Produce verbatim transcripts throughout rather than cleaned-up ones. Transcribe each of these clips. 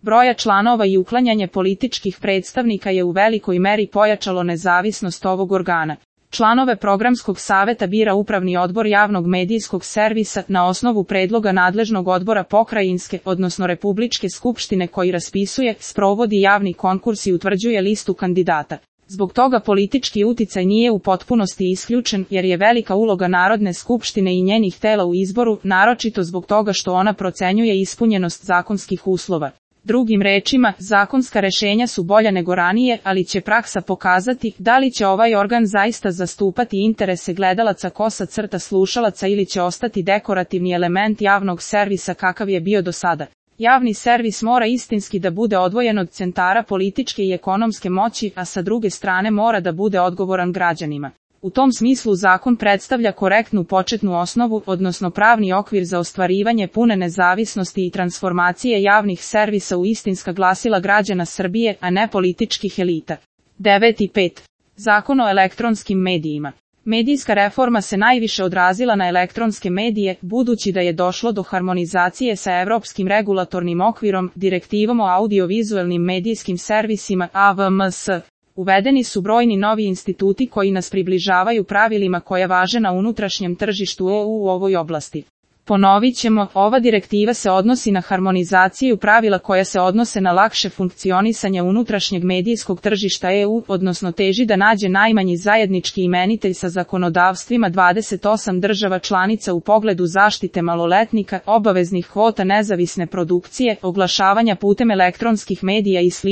broja članova i uklanjanje političkih predstavnika je u velikoj meri pojačalo nezavisnost ovog organa. Članove programskog saveta bira Upravni odbor javnog medijskog servisa na osnovu predloga nadležnog odbora pokrajinske, odnosno Republičke skupštine koji raspisuje, sprovodi javni konkurs i utvrđuje listu kandidata. Zbog toga politički uticaj nije u potpunosti isključen, jer je velika uloga Narodne skupštine i njenih tela u izboru, naročito zbog toga što ona procenjuje ispunjenost zakonskih uslova. Drugim rečima, zakonska rešenja su bolja nego ranije, ali će praksa pokazati da li će ovaj organ zaista zastupati interese gledalaca kosa crta slušalaca ili će ostati dekorativni element javnog servisa kakav je bio do sada. Javni servis mora istinski da bude odvojen od centara političke i ekonomske moći, a sa druge strane mora da bude odgovoran građanima. U tom smislu zakon predstavlja korektnu početnu osnovu, odnosno pravni okvir za ostvarivanje pune nezavisnosti i transformacije javnih servisa u istinska glasila građana Srbije, a ne političkih elita. devet i pet. Zakon o elektronskim medijima. Medijska reforma se najviše odrazila na elektronske medije, budući da je došlo do harmonizacije sa Evropskim regulatornim okvirom, Direktivom o audiovizualnim medijskim servisima A V M S. Uvedeni su brojni novi instituti koji nas približavaju pravilima koje važe na unutrašnjem tržištu E U u ovoj oblasti. Ponovit ćemo, ova direktiva se odnosi na harmonizaciju pravila koja se odnose na lakše funkcionisanje unutrašnjeg medijskog tržišta E U, odnosno teži da nađe najmanji zajednički imenitelj sa zakonodavstvima dvadeset osam država članica u pogledu zaštite maloletnika, obaveznih kvota nezavisne produkcije, oglašavanja putem elektronskih medija i sl.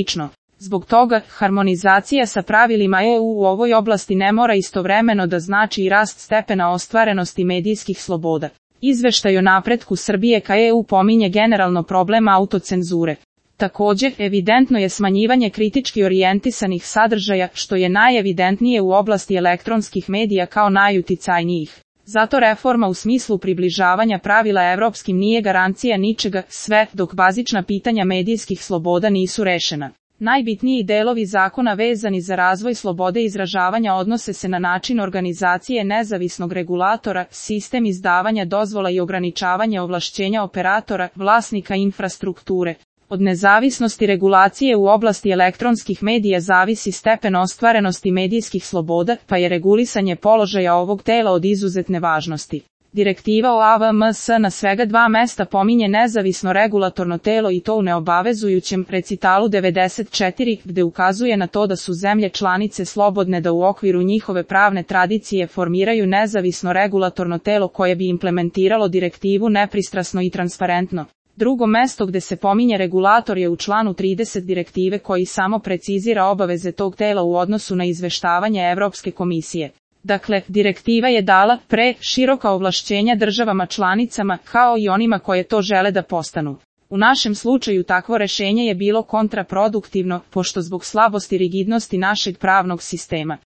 Zbog toga, harmonizacija sa pravilima E U u ovoj oblasti ne mora istovremeno da znači i rast stepena ostvarenosti medijskih sloboda. Izveštaj o napretku Srbije ka E U pominje generalno problem autocenzure. Također, evidentno je smanjivanje kritički orijentisanih sadržaja, što je najevidentnije u oblasti elektronskih medija kao najuticajnijih. Zato reforma u smislu približavanja pravila evropskim nije garancija ničega, sve dok bazična pitanja medijskih sloboda nisu rešena. Najbitniji delovi zakona vezani za razvoj slobode izražavanja odnose se na način organizacije nezavisnog regulatora, sistem izdavanja dozvola i ograničavanje ovlašćenja operatora, vlasnika infrastrukture. Od nezavisnosti regulacije u oblasti elektronskih medija zavisi stepen ostvarenosti medijskih sloboda, pa je regulisanje položaja ovog tela od izuzetne važnosti. Direktiva o A V M S na svega dva mesta pominje nezavisno regulatorno telo i to u neobavezujućem recitalu devedeset četiri, gde ukazuje na to da su zemlje članice slobodne da u okviru njihove pravne tradicije formiraju nezavisno regulatorno telo koje bi implementiralo direktivu nepristrasno i transparentno. Drugo mesto gde se pominje regulator je u članu trideset direktive koji samo precizira obaveze tog tela u odnosu na izveštavanje Evropske komisije. Dakle, direktiva je dala pre široka ovlašćenja državama članicama kao i onima koje to žele da postanu. U našem slučaju takvo rešenje je bilo kontraproduktivno, pošto zbog slabosti rigidnosti našeg pravnog sistema